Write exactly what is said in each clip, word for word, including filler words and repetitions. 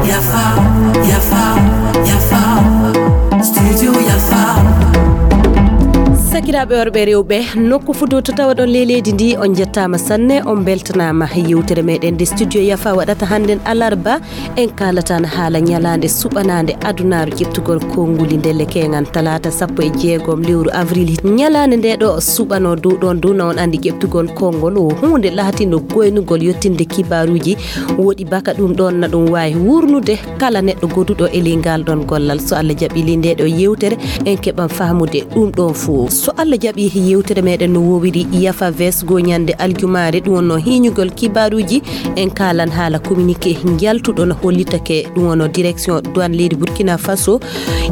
Yafa, yafa, yafa. Studio yafa. Sakiraaɓe worɓe e rewɓe, nokku fuu to tawaɗon ley leydi ndi, on njettaama sanne, on mbeltanaama. Yewtere meɗen nde Studio Yafa waɗata hannden alarba, en kaalata haala ñalaande suɓanaande adunaaru ƴeɓtugol konnguli ndelle keeŋan talaata sappo e jeegom lewru avril. Ñalaande nde ɗo suɓanoo dow ɗon dow na on anndi ƴeɓtugol konngol o huunde laatindo goynugol yottinde kibaaruuji. Woɗi baka ɗum ɗon na ɗum waawi wurnude kala neɗɗo goduɗo e ley ngal ɗon gollal. So Allah jaɓi ley nde ɗo yewtere, en keɓan fahmude ɗum ɗon fuu. So Allah jaɓi yewtere meɗen no wowiri yafa vesgo ñande aljumaare, ɗum wonno hiñugol kibaaruuji. En kaalan haala communiqué njaltuɗo no hollitake, ɗum wonno direction douane leydi Burkina Faso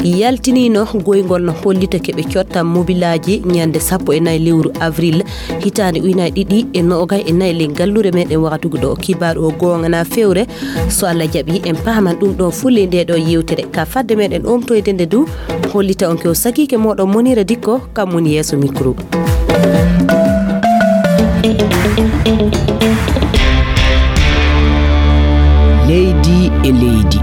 yaltinino goyngol no hollitake ɓe cotta mobilaaji ñande sappo e nayi lewru avril hitaande ujunaaji ɗiɗi e noogay e nayi ley gallure meɗen wakatugu ɗo. Kibaaru o goonga na fewre, so Allah jaɓi en paaman ɗum ɗon fuu ley nde ɗo yewtere. Ka fadde meɗen omtoyde nde du, hollita on ko sakiike moɗon Monira Dikko, kam woni yeeso micro. Leydi e leydi.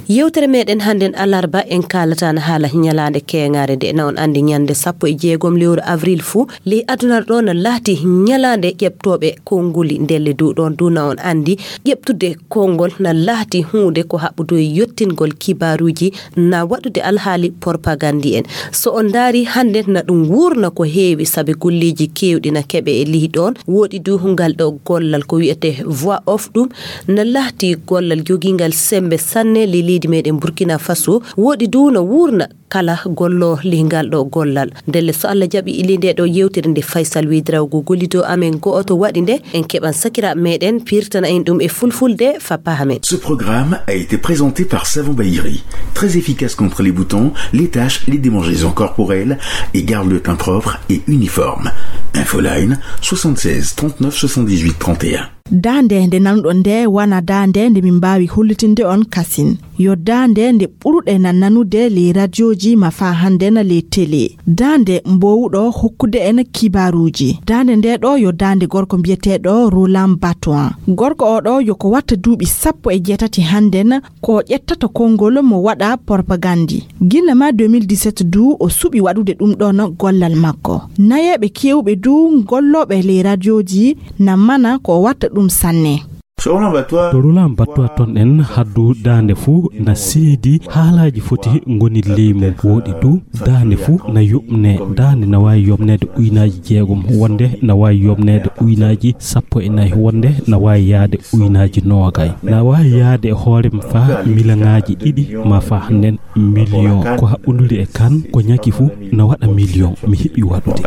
Yewtere meɗen hannden alarba en kaalata na haala ñalaande keeŋaare nde na on anndi ñande sappo e jeegom lewru avril fuu ley aduna ɗo na laati ñalaande ƴeɓtooɓe konnguli ndelle dow ɗon dow na on anndi ƴeɓtude konngol na laati huunde ko haɓɓudo e yottingol kibaaruuji na waɗude alhaali propagandi en. So on ndaari hannde na ɗum wuurna ko heewi sabe golleeji keewɗi na keɓe e lihi ɗoon. Woɗi du ngal ɗo gollal ko wiyetee voix off ɗum na laati gollal jogiingal semmbe sanne ley leydi meɗen Burkina Faso. Woɗi du na wuurna kala gollo ley ngal ɗo gollal. Ndelle so Allah jaɓi ili nde ɗo yewtere nde Faysal Wedrawgo gollido amen go'oto waɗi nde en keɓan sakiraaɓe meɗen pirtana en ɗum e fulfulde fa pahamen. Ce programme a été présenté par Savon Bayiri, très efficace contre les boutons, les taches, les démangeaisons corporelles et garde le teint propre et uniforme. Infoline soixante-seize trente-neuf soixante-dix-huit trente et un. Daande nde nanuɗon nde wona daande nde min mbaawi hollitinde on kasin. Yo daande nde ɓuruɗen nanude ley radioji ma faa hannden ley tele. Daande mboowuɗo hokkude en kibaaruuji. Daande nde ɗo yo daande gorko mbiyeteeɗo Roland Batouan. Gorko o ɗo yo ko watta duuɓi sappo e jeetati hannden ko ƴettata konngol mo waɗa propagandi. Gilla ma deux mille dix-sept du o suɓi waɗude ɗum ɗon gollal makko. Nayeeɓe keewɓe du gollooɓe ley radioji na mana ko o watta ɗum sanne. Roland Batouan ton en haddu daande fuu na seedi haalaaji foti ngoni ley mum. Woɗi du daande fuu na yoɓne. Daande na waawi yoɓneede uynaaji jeegom wonde na waawi yoɓneede uynaaji sappo e nayi wonde na waawi yaade uynaaji noogay. Na waawi yaade e hoore mum faa milaŋaaji ɗiɗi ma faa nden miliyon. Ko haɓɓunduri e kan ko ñaki fuu na waɗa miliyon. Mi heɓi waɗude.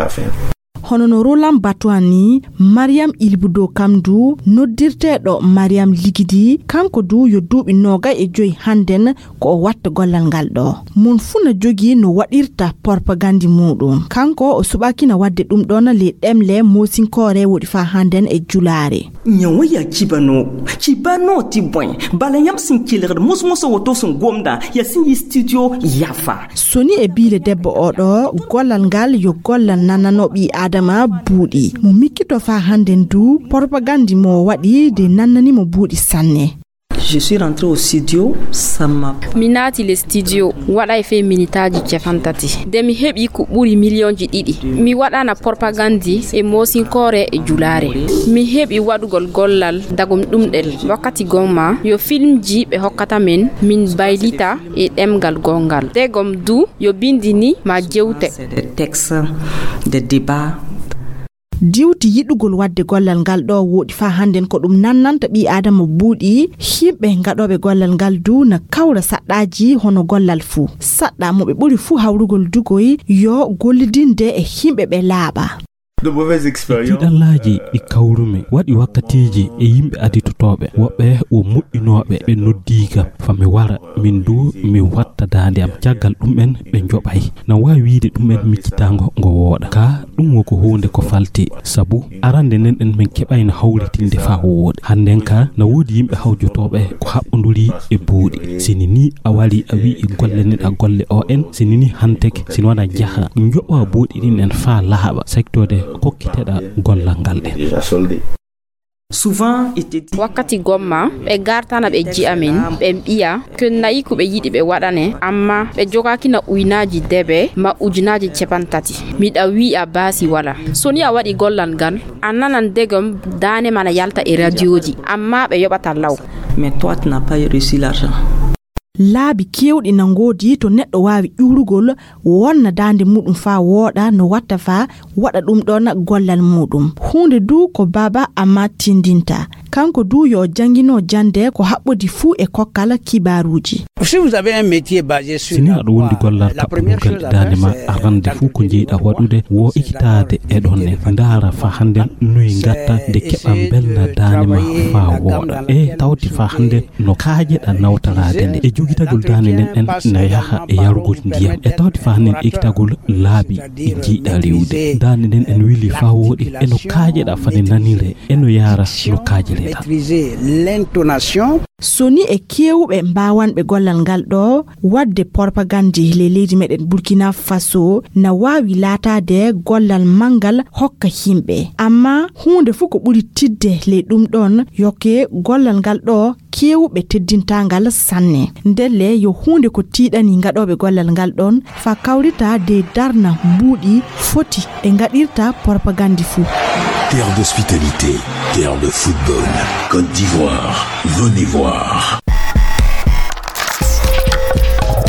Hono no Roland Batouan ni, Mariam Ilbudo kam du noddirteeɗo Mariam Ligidi, kanko du yo duuɓi noogay e joyi hannden ko o watta gollal ngal ɗo. Mon fuu na jogii no waɗirta propagandi muuɗum. Kanko o suɓaaki na waɗde ɗum ɗon ley ɗemle moosinkoore woɗi faa hannden e julaare. Ñawo ya cibano, cibano ti boy. Bala ñam sin kilirde musmuso woto sun gomda ya sin yi studio yafa. Soni e biile debbo o ɗo, gollal ngal yo gollal nannano ɓii Aadama buuɗi. Mo mikkito faa hannden du, propagandi mo waɗi de nannani mo buuɗi sanne. Je suis rentré au studio, ça m'a Mi naati le studio, waɗay fee minitaaji capantati. De mi heɓi ko ɓuri miliyonji ɗiɗi. Mi waɗana propagandi e moosinkoore e julaare. Mi heɓi waɗugol gollal dagom ɗum ɗel. Wakkati gomma, yo filmji ɓe hokkata men, min baylita e ɗemgal gongal. Degom du, yo bindi ni ma jewte. C'est des textes, des débats. Diwti yiɗugol waɗde gollal ngal ɗo woɗi faa hannden ko ɗum nannanta ɓii Aadama buuɗi, yimɓe gaɗooɓe gollal ngal du na kawra saɗɗaaji hono gollal fuu. Saɗɗa mo ɓe ɓuri fuu hawrugol dugoy yo gollidinde e yimɓe ɓe laaɓa. De mauvaises E expériences. Tiiɗallaaji ɗi kawrumi waɗi wakkatiiji e yimɓe aditoto. tottooɓe, woɓɓe wo moƴƴinooɓe, ɓe noddii kam fa mi wara, min du mi watta daande am. Caggal ɗum'en ɓe njoɓay. Na waawi wiyde ɗum'en miccitaango ngo wooɗa. Ka ɗum wo ko huunde ko falti, sabu arande nden ɗen min keɓayno hawritinde faa wooɗi. Hannden ka na woodi yimɓe hawjotooɓe ko haɓɓonduri e buuɗi. Sini ni a wari a wi'i golle neɗa golle o en, sini ni hanteke, sini wona jaha, njoɓa buuɗi ɗin en faa laaɓa, saktode kokkiteɗa gollal ngal ɗen. Souvent, il te dit Wakkati gomma, ɓe gartana ɓe ji'a min, ɓe mbi'a, ko nayi ko ɓe yiɗi ɓe waɗane, amma ɓe jogaakina uynaaji debe ma ujunaaji capantati. Miɗa wi'a baasi wala. So ni a waɗi gollal ngal, a nanan degom daane ma na yalta e radioji, amma ɓe yoɓata law. Mais toi, tu n'as pas reçu l'argent. Laabi keewɗi na ngoodi to neɗɗo waawi ƴuurugol, wonna daande muɗum faa wooɗa no watta faa waɗa ɗum ɗon gollal muɗum. Huunde du ko Baaba Amma tindinta. Kanko du yo janngino jannde ko haɓɓodi fuu e kokkal kibaaruuji. Si vous avez un métier basé sur Si ni la aɗa wondi voix, gollal la première kaɓɓugol chose à daande faire, ma, c'est arande fuu ko calculer njeyɗa waɗude wo ekitaade e ɗon ne. Ndaara faa hannden noy ngatta nde keɓa mbelna daande ma faa wooɗa. E tawti faa hannden no kaajeɗa nawtaraade nde. E jogitagol daande nden ɗen na yaha e yarugol ndiyam. E tawti faa hannden ekitagol laabi ɗi njeyɗa rewude. Daande nden en wili faa wooɗi e no kaajeɗa fade nanire e no yaara no kaajereɗa. Maîtriser l'intonation. So ni e keewuɓe mbaawanɓe gollal ngal ɗo, waɗde propagande le leydi meɗen Burkina Faso na waawi laataade gollal manngal hokka yimɓe. Amma huunde fuu ko ɓuri tidde ley ɗum ɗon, yoke gollal ngal ɗo keewuɓe teddintangal sanne. Ndelle yo huunde ko tiiɗani ngaɗooɓe gollal ngal ɗon, faa kawrita de darna mbuuɗi foti ɓe ngaɗirta propagande fuu. Terre d'hospitalité, terre de football. Côte d'Ivoire, venez voir.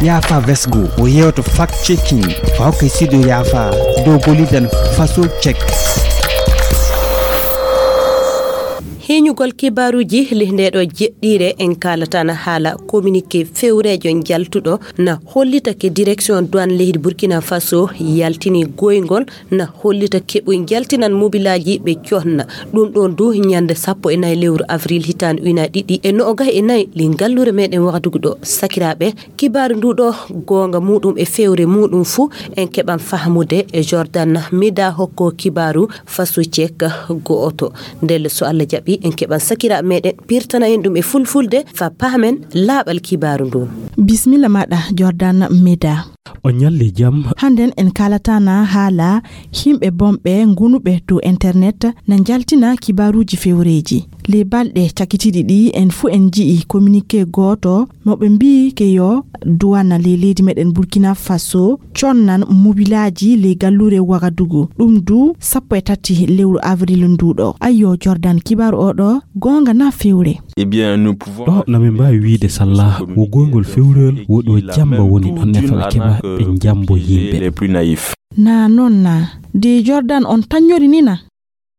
Yaafa Vesgo, o yewto fact checking, faa hokke studio Yaafa, dow Bolidan Faso Check. Heñugol kibaaruuji ley ndee ɗoo jeɗɗiire, en kaalataana haala communiqué fewreejo njaltuɗo na hollita ke direction douane leydi Burkina Faso yaltini goyngol na hollita keɓoy njaltinan mobilaaji ɓe conna. Ɗum ɗoon du ñannde sappo e nayi lewru avril hitaande ujunaaji ɗiɗi e noogas e nayi ley ngalluure meɗen Wagadugu ɗo. Sakiraaɓe, kibaaru ndu ɗo goonga muɗum e fewre muɗum fuu en keɓan fahmude e Jordan Meda hokko kibaaru Faso Check go'oto. Ndelle so Allah jaɓi en keɓan sakiraaɓe meɗen pirtana en ɗum e fulfulde faa pahmen laaɓal kibaaru ndu. Bismilla maɗa Jordan Meda. O ñalli jam. Hannden en kaalataana haala yimɓe bonɓe ngonuɓe dow internet na njaltina kibaaruuji fewreeji. Ley balɗe cakitiiɗi ɗi en fuu en nji'i communiqué gooto mo ɓe mbi'i ke yo duwana ley leydi meɗen Burkina Faso connan mobilaaji ley galluure Wagadugu. Ɗum du sappo e tati lewru avril ndu ɗo. Ayyo Jordan, kibaaru o ɗo goonga na fewre? Eh bien, nous pouvons Ɗo na min mbaawi wiyde salla wo goyngol fewreyol wo ɗo jamba woni ɗon ne fala keɓa ɓe jambo yimɓe. Les plus naïfs. Na noon na. De Jordan on tañori ni na?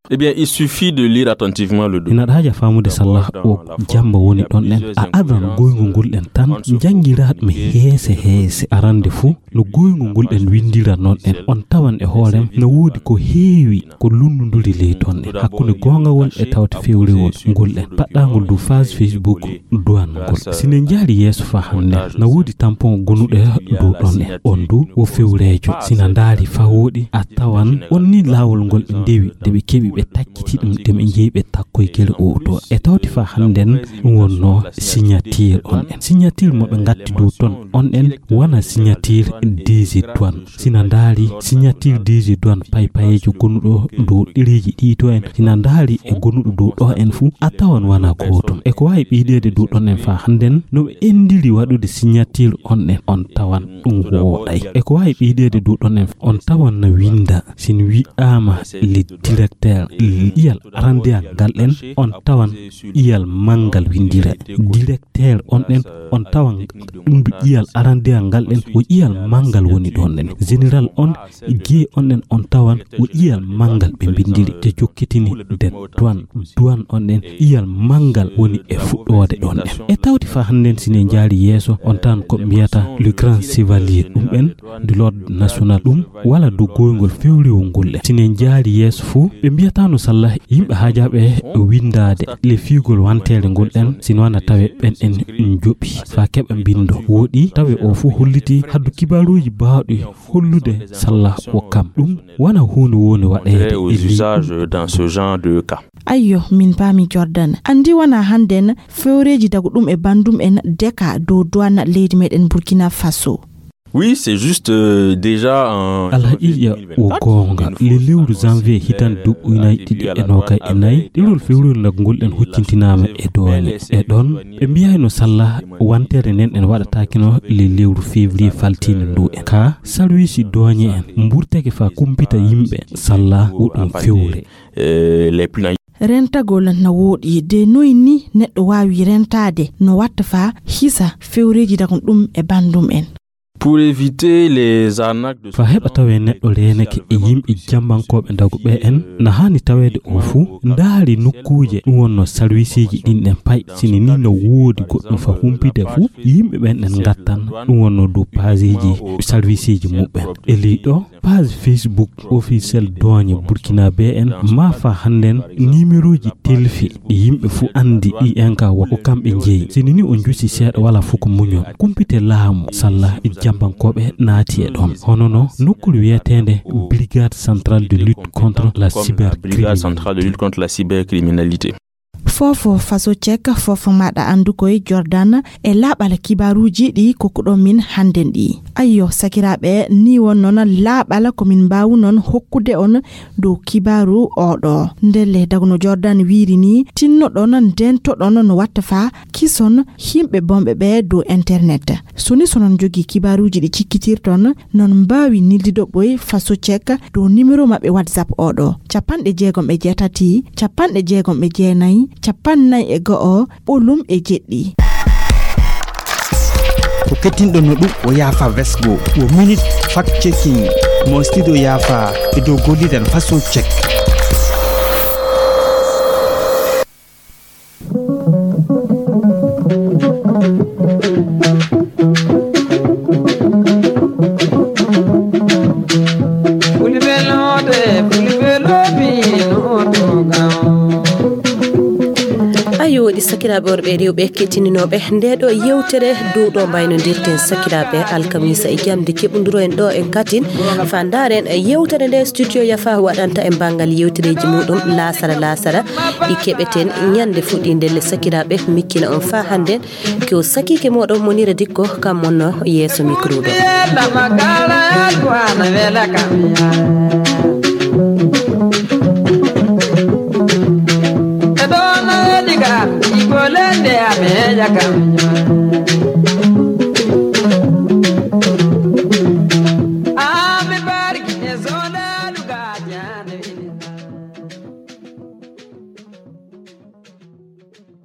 Eh bien, il suffit de lire attentivement le document. Ina ɗaaja faamude salla o jamba woni ɗon en. A adan goyngol ngol ɗen tan, njanngiraa ɗum heese heese. Arande fuu, no goyngol ngol ɗen winndira noon en. On tawan e hoorem no woodi ko heewi ko lunnunduri ley toon en. Hakkunde goongawol e tawte fewrewol ngol ɗen. Paɗɗaangol dow phase Facebook duwangol. Si ne njaari yeeso faa hannde, na woodi tampon gonuɗo dow ɗon en. On du wo fewreejo. Si na ndaari faa wooɗi, a tawan on ni laawol ngol ɓe ndewi, de ɓe keɓi ɓe takkiti ɗum, de ɓe njeyi ɓe takkoy gere o to. E tawti faa hannden ɗum wonnoo signature on en. Signature mo ɓe ngatti dow ton on en wona signature D G douane. Si na ndaari signature D G douane paypayeejo gonuɗo dow ɗereeji ɗi to en, si na ndaari e gonuɗo dow ɗo en fuu, a tawan wona gootum. E ko waawi ɓeydeede dow ɗon en faa hannden, no ɓe enndiri waɗude signature on en, on tawan ɗum wooɗay. E ko waawi ɓeydeede dow ɗon en, on tawan na winnda, si n wi'aama le directeur, ƴiyal arandeyangal ɗen, on tawan ƴiyal manngal winndira. Directeur on ɗen, on tawan ɗum du ƴiyal arandeyangal ɗen, wo ƴiyal manngal woni ɗon ɗen. Général on, G on ɗen, on tawan wo ƴiyal manngal ɓe mbinndiri, te jokkitini den douane. Douane on ɗen, ƴiyal manngal woni e fuɗɗoode ɗon ɗen. E tawti faa hannden si ne njaari yeeso, on tawan ko mbiyata le grand chevalier, ɗum ɓen de l'ordre national, ɗum wala dow goyngol fewrewol ngol ɗen. Si ne njaari yeeso fuu, ɓe mbiyata Tano Sallah, yimɓe haajaaɓe winndaade le fiigol wanteere ngol ɗen, sino wana tawe ɓen en njoɓi faa keɓa mbindo. Wooɗi tawe o fof holliti haddu kibaaruuji baawɗi hollude Sallah ko kam. Ɗum wana huunde woni waɗeede aux e leydi usages dans ce genre de cas. Ayyo, min paami Jordan. Anndi wana hannden fewreeji dagu ɗum e banndum en deka dow duwana leydi meɗen Burkina Faso. Oui, c'est juste, euh, déjà en Alhaqiiqa janvier o goonga, le lewru janvier hitande duuɓi ujunaaji ɗiɗi e noogay e nayi, ɗerol fewriyol nagngol en huccintinaama e doole. E ɗon, ɓe mbiyayno Sallah wantere nden en waɗataakino le lewru février faltiinde ndu en. Ka salwiisi dooñe en mburtake faa kumpita yimɓe Sallah o ɗum fewre. Euh, les plans. Rentagol na wooɗi, de noy ni neɗɗo waawi rentaade no watta faa hisa fewreeji dagon ɗum e banndum en. Pour éviter les arnaques de Faa heɓa tawee neɗɗo reenake e yimɓe jambankooɓe ndagu ɓe en, na haani taweede o fuu ndaari nokkuuje ɗum wonno salwisiiji ɗin ɗen pay. Sini ni no woodi goɗɗum faa humpide fuu, yimɓe ɓen ɗen ngattan ɗum wonno dow paaseeji salwisiiji muɓɓen. E ley ɗo, page Facebook officiel dooñe Burkina be en, maa faa hannden nimerooji telfi ɗi yimɓe fuu anndi ɗi en ka wa ko kamɓe njeyi. Sini ni o njusi seeɗa wala fuu ko muñol. Kumpite laamu Sallah jambankooɓe naati e ɗon. Hono no nokkuure wiyeteende Brigade Centrale de Lutte contre la Brigade Centrale de Lutte contre la Cybercriminalité. Foofo Faso Cek, foofo maɗa anndu koye Jordan e laaɓal kibaaruuji ɗi kokkuɗon min hannden ɗi. Ayyo, sakiraaɓe, ni won noon laaɓal ko min mbaawu noon hokkude on dow kibaaru oɗo. Ndelle dago no Jordan wiiri ni, tinnoɗon, ndentoɗon no watta faa kison yimɓe bonɓe ɓe dow internet. So ni so non jogii kibaaruuji ɗi cikkitirton, non mbaawi nildido ɓoy Faso Cek dow nimero maɓɓe WhatsApp oɗo, capanɗe jeegom e jeetati, capanɗe jeegom e jeenayi, capanɗe nayi e go'o, ɓolum e jeɗɗi. Ko kettinɗo no ɗum o yaafa vesgo, o minute fact checking, mo studio yaafa e dow gollidan Faso Cek. Ayo, woɗi sakiraaɓe worɓe e rewɓe kettininooɓe nde ɗo yewtere dow ɗo mbaynodirten sakiraaɓe alkamisa e jamde keɓunduro en ɗo en katin fa ndaren yewtere nde studio yafa waɗanta en banngal yewtereeji muɗum laasara laasara. Ɗi keɓeten ñande fuɗɗi ndelle sakiraaɓe mikkina on fa hannde ko sakiike moɗon Monira Dikko kam wonno yeeso micro ɗo.